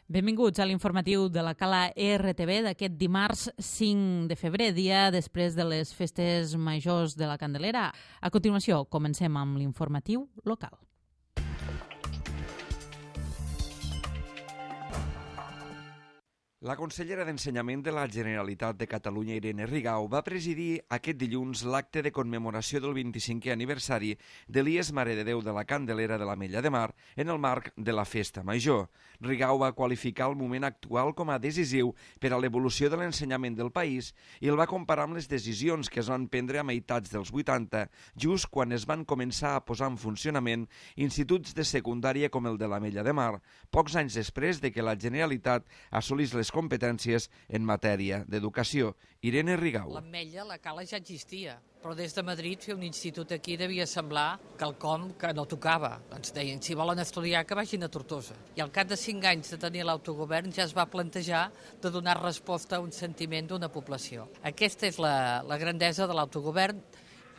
Benvinguts a l'informatiu de la Cala RTV d'aquest dimarts 5 de febrer, dia després de les festes majors de la Candelera. A continuació, comencem amb l'informatiu local. La consellera d'Ensenyament de la Generalitat de Catalunya, Irene Rigau, va presidir aquest dilluns l'acte de commemoració del 25è aniversari de l'IES Mare de Déu de la Candelera de l'Ametlla de Mar en el marc de la Festa Major. Rigau va qualificar el moment actual com a decisiu per a l'evolució de l'ensenyament del país i el va comparar amb les decisions que es van prendre a meitats dels 80, just quan es van començar a posar en funcionament instituts de secundària com el de l'Ametlla de Mar, pocs anys després de que la Generalitat assolís les competències en matèria d'educació. Irene Rigau. L'Ametlla, la Cala ja existia, però des de Madrid fer un institut aquí devia semblar quelcom que no tocava. Ens deien, si volen estudiar, que vagin a Tortosa. I al cap de 5 anys de tenir l'autogovern ja es va plantejar de donar resposta a un sentiment d'una població. Aquesta és la grandesa de l'autogovern,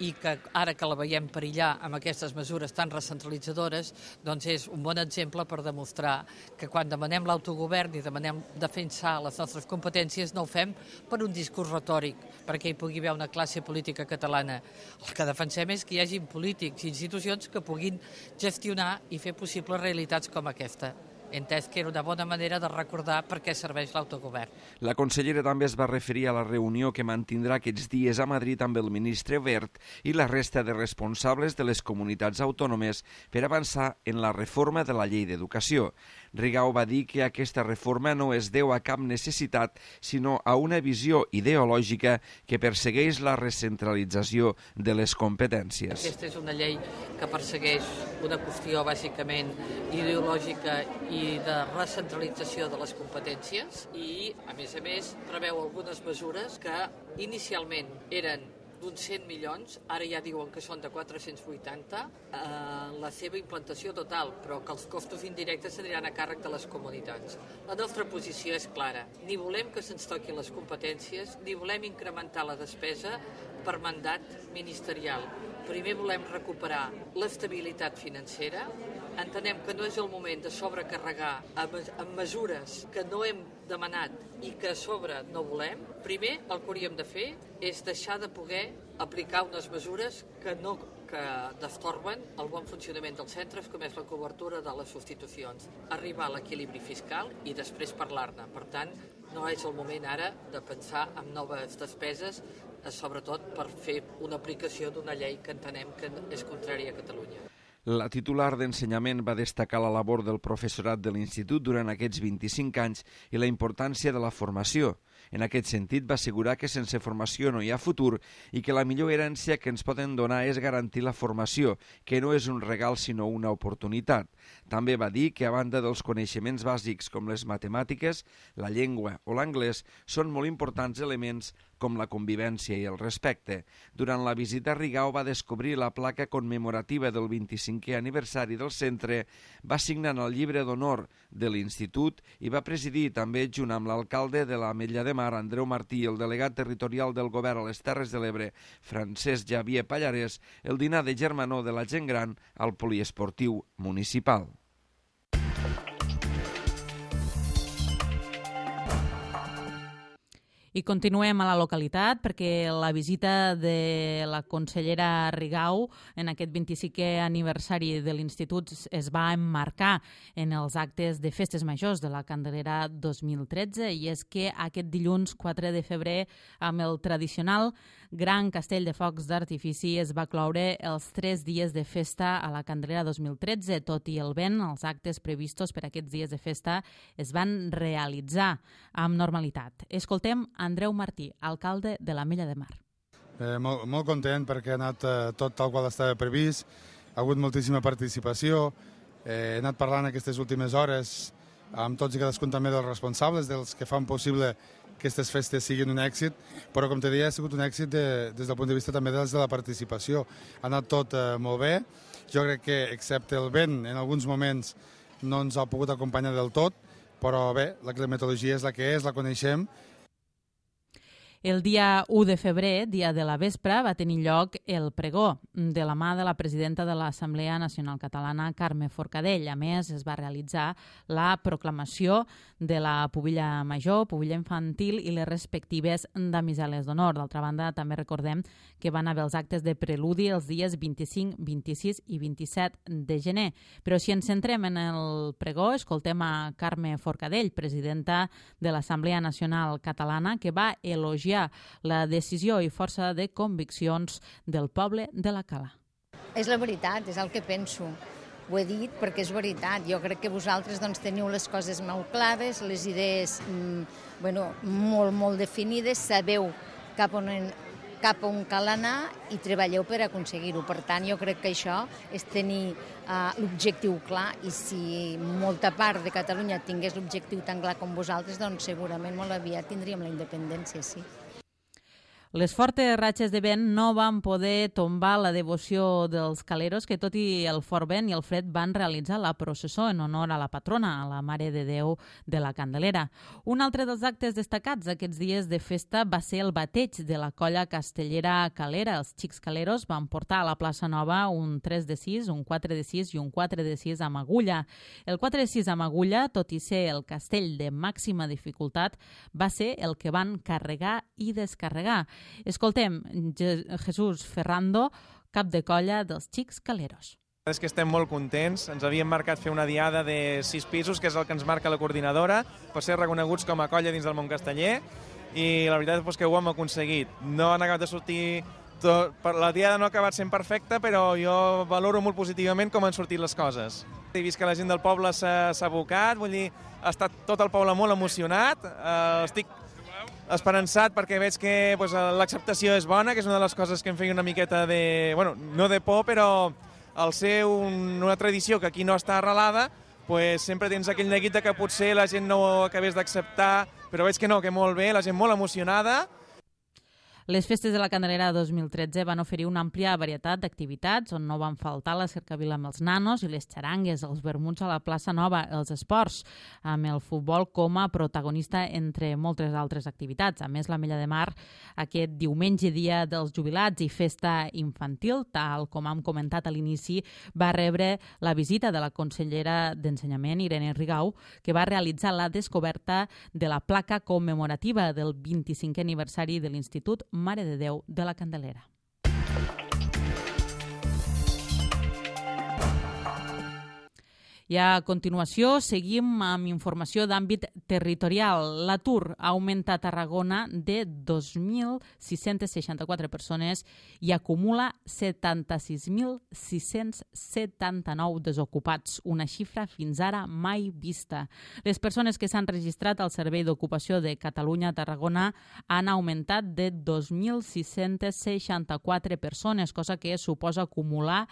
i que ara que la veiem perillar amb aquestes mesures tan recentralitzadores, doncs és un bon exemple per demostrar que quan demanem l'autogovern i demanem defensar les nostres competències no ho fem per un discurs retòric, perquè hi pugui haver una classe política catalana. El que defensem és que hi hagi polítics i institucions que puguin gestionar i fer possibles realitats com aquesta. Entès que era una bona manera de recordar per què serveix l'autogovern. La consellera també es va referir a la reunió que mantindrà aquests dies a Madrid amb el ministre Wert i la resta de responsables de les comunitats autònomes per avançar en la reforma de la llei d'educació. Rigau va dir que aquesta reforma no es deu a cap necessitat, sinó a una visió ideològica que persegueix la recentralització de les competències. Aquesta és una llei que persegueix una qüestió bàsicament ideològica i de recentralització de les competències i, a més, preveu algunes mesures que inicialment eren d'uns 100 milions, ara ja diuen que són de 480, la seva implantació total, però que els costos indirectes aniran a càrrec de les comunitats. La nostra posició és clara. Ni volem que se'ns toquin les competències, ni volem incrementar la despesa per mandat ministerial. Primer volem recuperar l'estabilitat financera. Entenem que no és el moment de sobrecarregar amb mesures que no hem demanat i que a sobre no volem. Primer, el que hauríem de fer és deixar de poder aplicar unes mesures que destorben el bon funcionament dels centres, com és la cobertura de les substitucions, arribar a l'equilibri fiscal i després parlar-ne. Per tant, no és el moment ara de pensar en noves despeses, sobretot per fer una aplicació d'una llei que entenem que és contrària a Catalunya. La titular d'Ensenyament va destacar la labor del professorat de l'Institut durant aquests 25 anys i la importància de la formació. En aquest sentit, va assegurar que sense formació no hi ha futur i que la millor herència que ens poden donar és garantir la formació, que no és un regal sinó una oportunitat. També va dir que a banda dels coneixements bàsics com les matemàtiques, la llengua o l'anglès són molt importants elements com la convivència i el respecte. Durant la visita, Rigau va descobrir la placa commemorativa del 25è aniversari del centre, va signar el llibre d'honor de l'Institut i va presidir també, junt amb l'alcalde de l'Ametlla de Mar, Andreu Martí, i el delegat territorial del govern a les Terres de l'Ebre, Francesc Javier Pallarès, el dinar de germanor de la gent gran al poliesportiu municipal. I continuem a la localitat perquè la visita de la consellera Rigau en aquest 25è aniversari de l'Institut es va emmarcar en els actes de festes majors de la Candelera 2013 i és que aquest dilluns 4 de febrer amb el tradicional gran castell de focs d'artifici es va cloure els 3 dies de festa a la Candelera 2013. Tot i el vent, els actes previstos per aquests dies de festa es van realitzar amb normalitat. Escoltem Andreu Martí, alcalde de l'Ametlla de Mar. Molt content perquè ha anat tot tal qual estava previst, ha hagut moltíssima participació, he anat parlant aquestes últimes hores amb tots i cadascun també dels responsables, dels que fan possible que aquestes festes siguin un èxit, però com te deia ha sigut un èxit des del punt de vista també de la participació. Ha anat tot molt bé, jo crec que excepte el vent en alguns moments no ens ha pogut acompanyar del tot, però bé, la climatologia és la que és, la coneixem. El dia 1 de febrer, dia de la vespre, va tenir lloc el pregó de la mà de la presidenta de l'Assemblea Nacional Catalana, Carme Forcadell. A més, es va realitzar la proclamació de la pubilla major, pubilla infantil i les respectives damiseles d'honor. D'altra banda, també recordem que van haver els actes de preludi els dies 25, 26 i 27 de gener. Però si ens centrem en el pregó, escoltem a Carme Forcadell, presidenta de l'Assemblea Nacional Catalana, que va elogiar la decisió i força de conviccions del poble de la Cala. És la veritat, és el que penso. Ho he dit perquè és veritat. Jo crec que vosaltres teniu les coses molt clares, les idees molt definides, sabeu cap on cal anar i treballeu per aconseguir-ho. Per tant, jo crec que això és tenir l'objectiu clar, i si molta part de Catalunya tingués l'objectiu tan clar com vosaltres, doncs segurament molt aviat tindríem la independència, sí. Les fortes ratxes de vent no van poder tombar la devoció dels caleros que, tot i el fort vent i el fred, van realitzar la processó en honor a la patrona, a la Mare de Déu de la Candelera. Un altre dels actes destacats aquests dies de festa va ser el bateig de la colla castellera calera. Els xics caleros van portar a la plaça Nova un 3 de 6, un 4 de 6 i un 4 de 6 amb agulla. El 4 de 6 amb agulla, tot i ser el castell de màxima dificultat, va ser el que van carregar i descarregar. Escoltem Jesús Ferrando, cap de colla dels xics caleros. És que estem molt contents. Ens havíem marcat fer una diada de 6 pisos, que és el que ens marca la coordinadora, per ser reconeguts com a colla dins del món casteller, i la veritat és que ho hem aconseguit. No han acabat de sortir la diada no ha acabat sent perfecta, però jo valoro molt positivament com han sortit les coses. He vist que la gent del poble s'ha abocat, vull dir, ha estat tot el poble molt emocionat. Estic esperançat perquè veig que l'acceptació és bona, que és una de les coses que em feia una miqueta de... no de por, però al ser una tradició que aquí no està arrelada, sempre tens aquell neguit que potser la gent no ho acabés d'acceptar, però veig que no, que molt bé, la gent molt emocionada. Les festes de la Candelera 2013 van oferir una àmplia varietat d'activitats on no van faltar la cercavila amb els nanos i les xarangues, els vermuts a la plaça Nova, els esports, amb el futbol com a protagonista entre moltes altres activitats. A més, l'Ametlla de Mar, aquest diumenge, dia dels jubilats i festa infantil, tal com hem comentat a l'inici, va rebre la visita de la consellera d'Ensenyament, Irene Rigau, que va realitzar la descoberta de la placa commemorativa del 25è aniversari de l'Institut Mare de Déu de la Candelera. I a continuació seguim amb informació d'àmbit territorial. L'atur ha augmentat a Tarragona de 2.664 persones i acumula 76.679 desocupats, una xifra fins ara mai vista. Les persones que s'han registrat al Servei d'Ocupació de Catalunya a Tarragona han augmentat de 2.664 persones, cosa que suposa acumular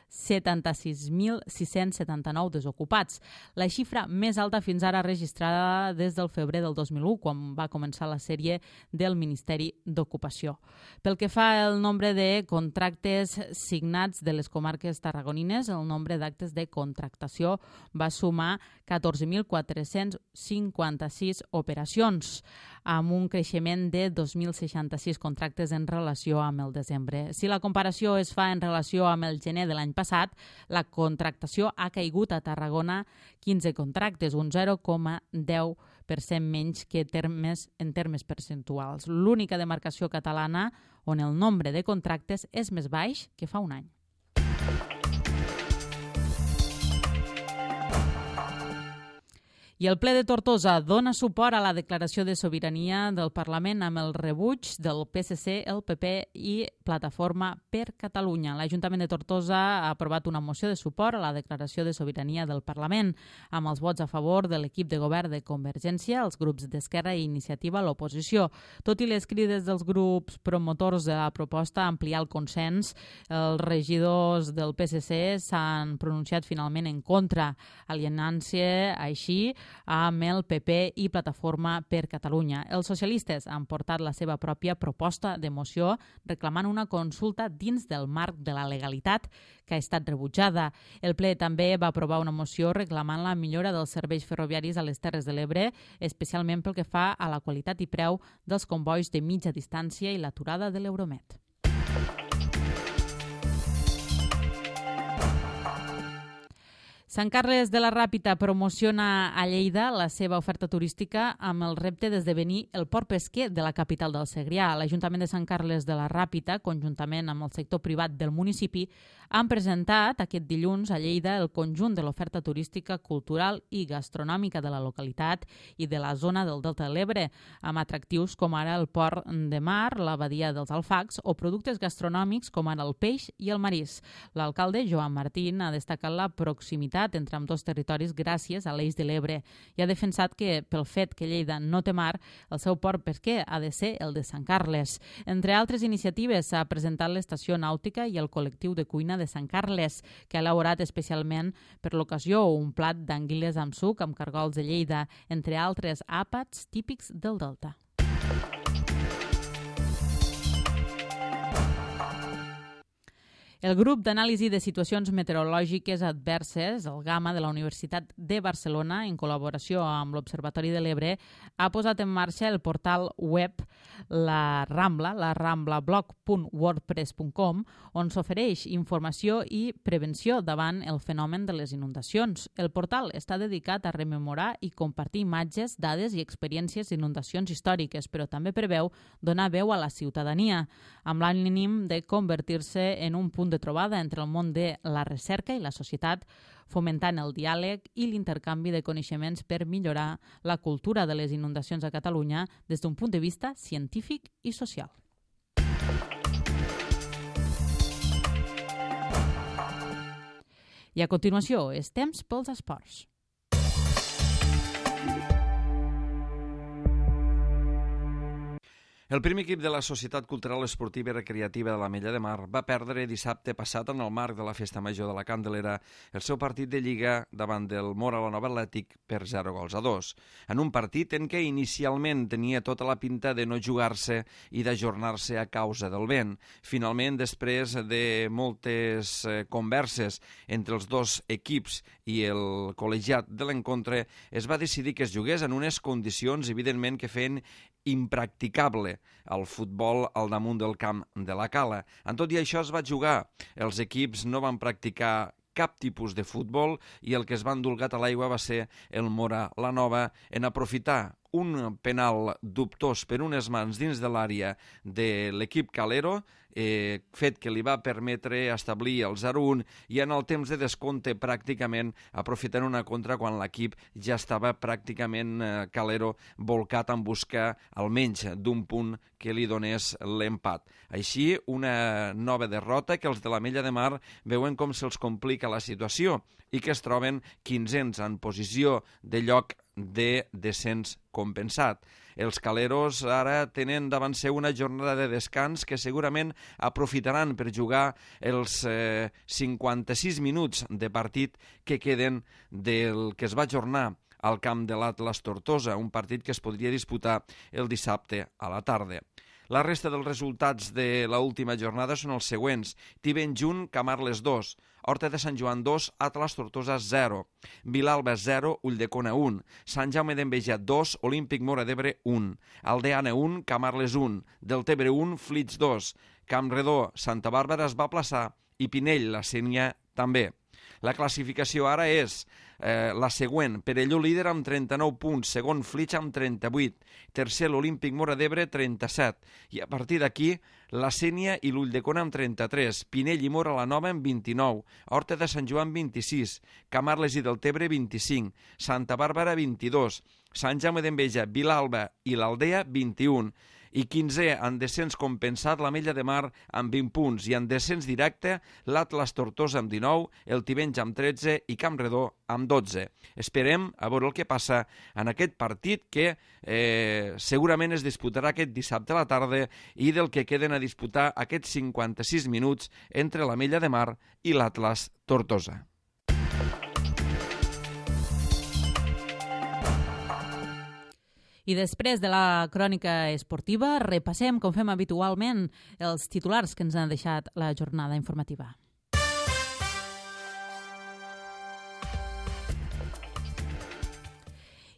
76.679 desocupats. La xifra més alta fins ara registrada des del febrer del 2001, quan va començar la sèrie del Ministeri d'Ocupació. Pel que fa al nombre de contractes signats de les comarques tarragonines, el nombre d'actes de contractació va sumar 14.456 operacions, amb un creixement de 2.066 contractes en relació amb el desembre. Si la comparació es fa en relació amb el gener de l'any passat, la contractació ha caigut a Tarragona 15 contractes, un 0,10% menys que en termes percentuals. L'única demarcació catalana on el nombre de contractes és més baix que fa un any. I el ple de Tortosa dona suport a la declaració de sobirania del Parlament amb el rebuig del PSC, el PP i Plataforma per Catalunya. L'Ajuntament de Tortosa ha aprovat una moció de suport a la declaració de sobirania del Parlament, amb els vots a favor de l'equip de govern de Convergència, els grups d'Esquerra i Iniciativa a l'oposició. Tot i les crides dels grups promotors de la proposta a ampliar el consens, els regidors del PSC s'han pronunciat finalment en contra, alienant-se així amb el PP i Plataforma per Catalunya. Els socialistes han portat la seva pròpia proposta de moció reclamant una consulta dins del marc de la legalitat que ha estat rebutjada. El ple també va aprovar una moció reclamant la millora dels serveis ferroviaris a les Terres de l'Ebre, especialment pel que fa a la qualitat i preu dels convois de mitja distància i l'aturada de l'Euromed. Sant Carles de la Ràpita promociona a Lleida la seva oferta turística amb el repte d'esdevenir el port pesquer de la capital del Segrià. L'Ajuntament de Sant Carles de la Ràpita, conjuntament amb el sector privat del municipi, han presentat aquest dilluns a Lleida el conjunt de l'oferta turística, cultural i gastronòmica de la localitat i de la zona del Delta de l'Ebre, amb atractius com ara el port de mar, la badia dels Alfacs o productes gastronòmics com ara el peix i el marís. L'alcalde, Joan Martín, ha destacat la proximitat entre ambdós territoris gràcies a l'Eix de l'Ebre i ha defensat que, pel fet que Lleida no té mar, el seu port pesquer ha de ser el de Sant Carles. Entre altres iniciatives, s'ha presentat l'estació nàutica i el col·lectiu de cuina de Sant Carles, que ha elaborat especialment per l'ocasió un plat d'anguiles amb suc amb cargols de Lleida, entre altres àpats típics del Delta. El grup d'anàlisi de situacions meteorològiques adverses, el GAMA de la Universitat de Barcelona, en col·laboració amb l'Observatori de l'Ebre, ha posat en marxa el portal web La Rambla, laramblabloc.wordpress.com, on s'ofereix informació i prevenció davant el fenomen de les inundacions. El portal està dedicat a rememorar i compartir imatges, dades i experiències d'inundacions històriques, però també preveu donar veu a la ciutadania, amb l'ànim de convertir-se en un punt de trobada entre el món de la recerca i la societat, fomentant el diàleg i l'intercanvi de coneixements per millorar la cultura de les inundacions a Catalunya des d'un punt de vista científic i social. I a continuació, és temps pels esports. El primer equip de la Societat Cultural Esportiva i Recreativa de l'Ametlla de Mar va perdre dissabte passat en el marc de la Festa Major de la Candelera el seu partit de Lliga davant del Móra la Nova Atlètic per 0-2. En un partit en què inicialment tenia tota la pinta de no jugar-se i d'ajornar-se a causa del vent. Finalment, després de moltes converses entre els dos equips i el col·legiat de l'encontre, es va decidir que es jugués en unes condicions, evidentment, que feien impracticable el futbol al damunt del camp de la Cala. En tot i això es va jugar. Els equips no van practicar cap tipus de futbol i el que es va endolgat a l'aigua va ser el Móra la Nova en aprofitar un penal dubtós per unes mans dins de l'àrea de l'equip calero, fet que li va permetre establir el 0-1 i en el temps de descompte pràcticament aprofitant una contra quan l'equip ja estava pràcticament calero volcat en busca almenys d'un punt que li donés l'empat. Així, una nova derrota que els de l'Ametlla de Mar veuen com se'ls complica la situació i que es troben 15ens en posició de lloc de descens compensat. Els caleros ara tenen davant seu una jornada de descans que segurament aprofitaran per jugar els 56 minuts de partit que queden del que es va ajornar al camp de l'Atlas Tortosa, un partit que es podria disputar el dissabte a la tarda. La resta dels resultats de l'última jornada són els següents. Tivenjunt, Camarles 2, Horta de Sant Joan 2, Atlas Tortosa 0, Vilalba 0, Ulldecona 1, Sant Jaume d'Enveja 2, Olímpic Móra d'Ebre 1, Aldeana 1, Camarles 1, Deltebre 1, Flix 2, Campredó, Santa Bàrbara es va aplaçar i Pinell, la Sénia, també. La classificació ara és la següent. Perelló líder amb 39 punts, segon Flix amb 38, tercer l'Olímpic Móra d'Ebre 37, i a partir d'aquí la Sénia i l'Ulldecona amb 33, Pinell i Móra la Nova amb 29, Horta de Sant Joan 26, Camarles i Deltebre 25, Santa Bàrbara 22, Sant Jaume d'Enveja, Vilalba i l'Aldea 21, i 15è en descens compensat l'Ametlla de Mar amb 20 punts i en descens directe l'Atlas Tortosa amb 19, el Tivenys amb 13 i Campredó amb 12. Esperem a veure el que passa en aquest partit que segurament es disputarà aquest dissabte a la tarda i del que queden a disputar aquests 56 minuts entre l'Ametlla de Mar i l'Atlas Tortosa. I després de la crònica esportiva, repassem, com fem habitualment, els titulars que ens han deixat la jornada informativa.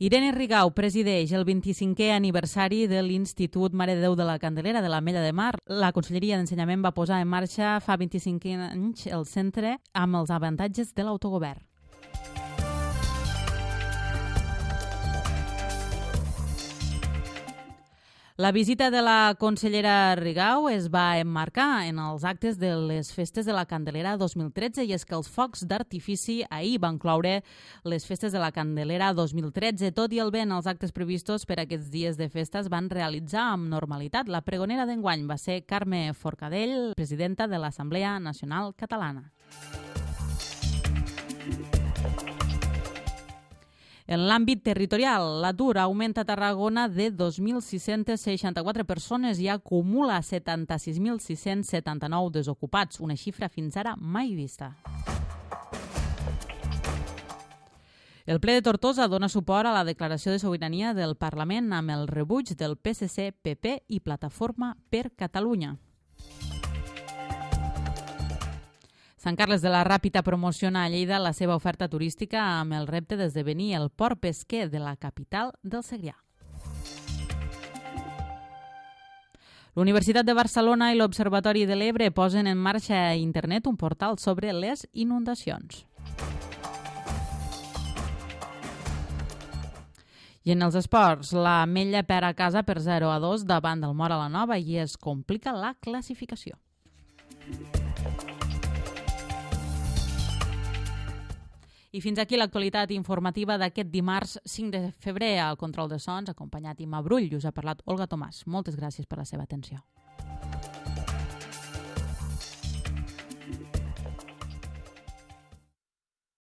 Irene Rigau presideix el 25è aniversari de l'Institut Mare de Déu de la Candelera de l'Ametlla de Mar. La Conselleria d'Ensenyament va posar en marxa fa 25 anys el centre amb els avantatges de l'autogovern. La visita de la consellera Rigau es va emmarcar en els actes de les festes de la Candelera 2013 i és que els focs d'artifici ahir van cloure les festes de la Candelera 2013. Tot i el vent, els actes previstos per aquests dies de festa es van realitzar amb normalitat. La pregonera d'enguany va ser Carme Forcadell, presidenta de l'Assemblea Nacional Catalana. En l'àmbit territorial, l'atur augmenta a Tarragona de 2.664 persones i acumula 76.679 desocupats, una xifra fins ara mai vista. El ple de Tortosa dona suport a la declaració de sobirania del Parlament amb el rebuig del PSC, PP i Plataforma per Catalunya. Sant Carles de la Ràpita promociona a Lleida la seva oferta turística amb el repte d'esdevenir el port pesquer de la capital del Segrià. L'Universitat de Barcelona i l'Observatori de l'Ebre posen en marxa a internet un portal sobre les inundacions. I en els esports, l'Ametlla perd a casa per 0-2 davant del Móra la Nova i es complica la classificació. I fins aquí l'actualitat informativa d'aquest dimarts 5 de febrer al Control de Sons, acompanyat Imma Brull. Us ha parlat Olga Tomàs. Moltes gràcies per la seva atenció.